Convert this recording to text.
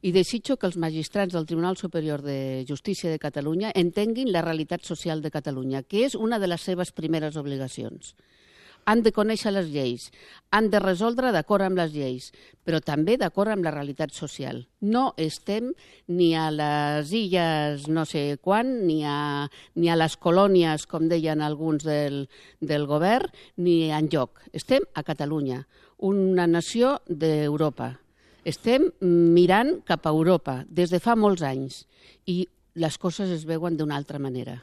i desitjo que els magistrats del Tribunal Superior de Justícia de Catalunya entenguin la realitat social de Catalunya, que és una de les seves primeres obligacions. Han de conèixer les lleis, han de resoldre d'acord amb les lleis, però també d'acord amb la realitat social. No estem ni a les illes no sé quan, ni a les colònies, com deien alguns del govern, ni enlloc. Estem a Catalunya, una nació d'Europa. Estem mirant cap a Europa des de fa molts anys i les coses es veuen d'una altra manera.